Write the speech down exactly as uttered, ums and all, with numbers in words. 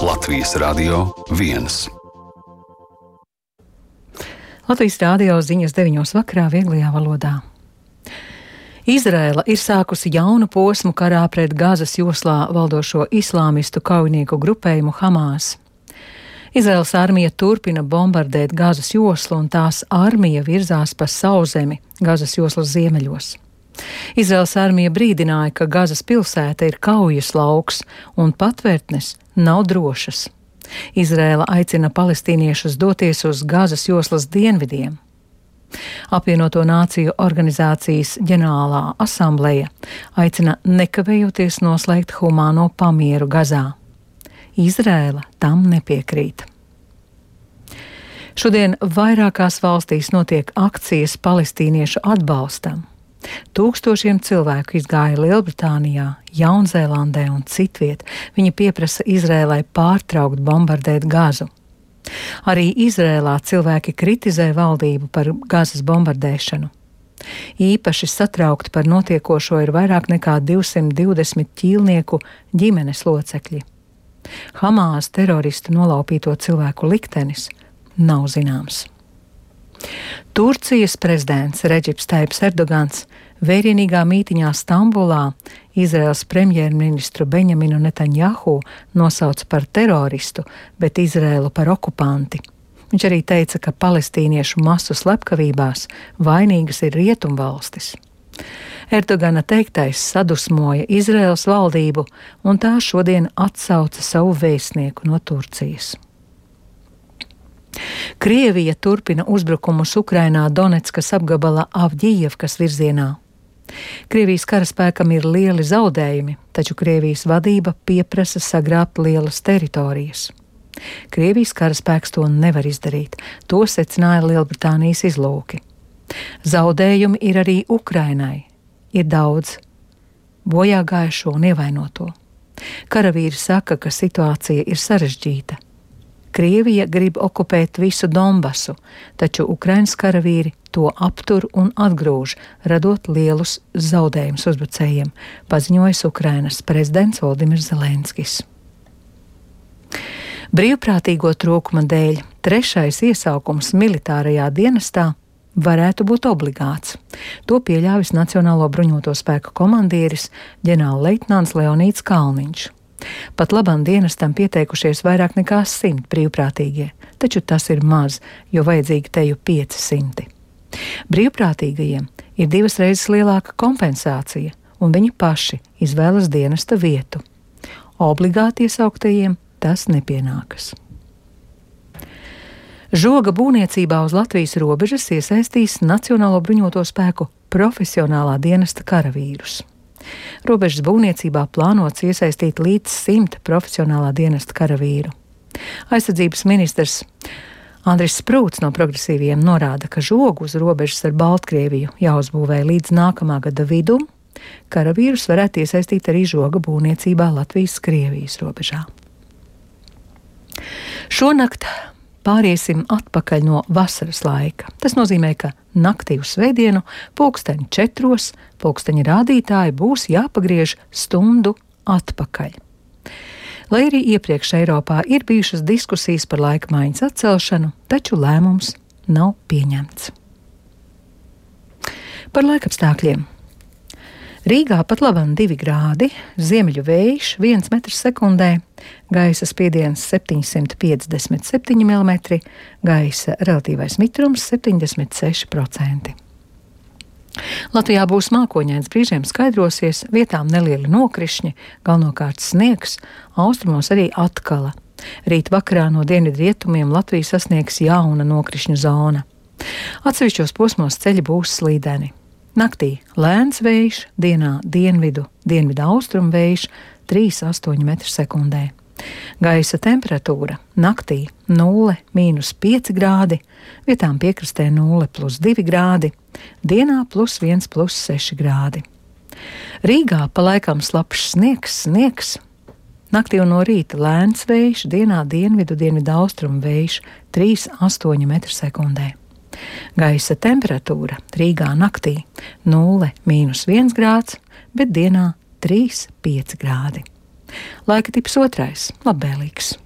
Latvijas Radio viens. Latvijas Rādio ziņas deviņos vakarā vieglajā valodā. Izraēla ir sākusi jaunu posmu karā pret Gazas joslā valdošo islāmistu kaujinieku grupējumu Hamas. Izraēlas armija turpina bombardēt Gazas joslu un tās armija virzās pa sauszemi Gazas joslas ziemeļos. Izraēlas armija brīdināja, ka Gazas pilsēta ir kaujas lauks un patvērtnes nav drošas. Izraēla aicina palestīniešus doties uz Gazas joslas dienvidiem. Apvienoto Nāciju organizācijas ģenerālā asambleja aicina nekavējoties noslēgt humāno pamieru Gazā. Izraēla tam nepiekrīt. Šodien vairākās valstīs notiek akcijas palestīniešu atbalstam. Tūkstošiem cilvēku izgāja Lielbritānijā, Jaunzēlandē un citviet. Viņi pieprasa Izrēlai pārtraukt bombardēt Gazu. Arī Izrēlā cilvēki kritizē valdību par Gazas bombardēšanu. Īpaši satraukti par notiekošo ir vairāk nekā divsimt divdesmit ķīlnieku ģimenes locekļi. Hamas teroristu nolaupīto cilvēku liktenis nav zināms. Turcijas prezidents Redžips Taips Erdogans vērienīgā mītiņā Stambulā Izraēlas premjerministru Beņaminu Netanjahu nosauca par teroristu, bet Izraēlu par okupanti. Viņš arī teica, ka palestīniešu masu slepkavībās vainīgas ir rietumvalstis. Erdogana teiktais sadusmoja Izraēlas valdību, un tā šodien atsauca savu vēstnieku no Turcijas. Krievija turpina uzbrukumus Ukrainā Doneckas apgabala Avģijevkas virzienā. Krievijas karaspēkam ir lieli zaudējumi, taču Krievijas vadība pieprasa sagrābt lielas teritorijas. Krievijas karaspēks to nevar izdarīt, to secināja Lielbritānijas izlūki. Zaudējumi ir arī Ukrainai. Ir daudz bojā gājušo un ievainoto. Karavīri saka, ka situācija ir sarežģīta. Krievija grib okupēt visu Donbasu, taču Ukrainas karavīri to aptur un atgrūž, radot lielus zaudējumus uzbrucējiem, paziņojis Ukrainas prezidents Voldimirs Zelenskis. Brīvprātīgo trūkuma dēļ trešais iesaukums militārajā dienestā varētu būt obligāts. To pieļāvis Nacionālo bruņoto spēku komandieris ģenerālleitnants Leonīds Kalniņš. Pat labam dienestam pieteikušies vairāk nekā simt brīvprātīgie, taču tas ir maz, jo vajadzīgi teju pieci simti. Brīvprātīgajiem ir divas reizes lielāka kompensācija, un viņi paši izvēlas dienesta vietu. Obligāti iesauktajiem tas nepienākas. Žoga būvniecībā uz Latvijas robežas iesaistīs Nacionālo bruņoto spēku profesionālā dienesta karavīrus. Robežas būvniecībā plānots iesaistīt līdz simt profesionālā dienesta karavīru. Aizsardzības ministrs Andris Sprūts no progresīviem norāda, ka žogu uz robežas ar Baltkrieviju jāuzbūvē līdz nākamā gada vidum. Karavīrus varētu iesaistīt arī žoga būvniecībā Latvijas-Krievijas robežā. Šonakt pāriesim atpakaļ no vasaras laika. Tas nozīmē, ka naktī uz svētdienu pulksteņu četros pulksteņa rādītāji būs jāpagriež stundu atpakaļ. Lai arī iepriekš Eiropā ir bijušas diskusijas par laika maiņas atcelšanu, taču lēmums nav pieņemts. Par laikapstākļiem. Rīgā pat labam divi grādi, ziemeļu vējš viens metrs sekundē, gaisa spiediens septiņsimt piecdesmit septiņi milimetri, gaisa relatīvais mitrums septiņdesmit seši procenti. Latvijā būs mākoņains, brīžiem skaidrosies, vietām nelieli nokrišņi, galvenokārt sniegs, austrumos arī atkala. Rīt vakarā no dienvidrietumiem Latviju sasniegs jauna nokrišņu zona. Atsevišķos posmos ceļi būs slīdeni. Naktī lēns vējš, dienā dienvidu, dienvidu austrumu vējš trīs līdz astoņi metri sekundē. Gaisa temperatūra naktī nulle mīnus pieci grādi, vietām piekrastē nulle plus divi grādi, dienā plus viens plus seši grādi. Rīgā pa laikam slapjš sniegs, sniegs. Naktī un no rīta lēns vējš, dienā dienvidu, dienvidu austrumu vējš trīs līdz astoņi metri sekundē. Gaisa temperatūra Rīgā naktī nulle mīnus viens grāds, bet dienā trīs līdz pieci grādi. Laika tips otrais - labvēlīgs.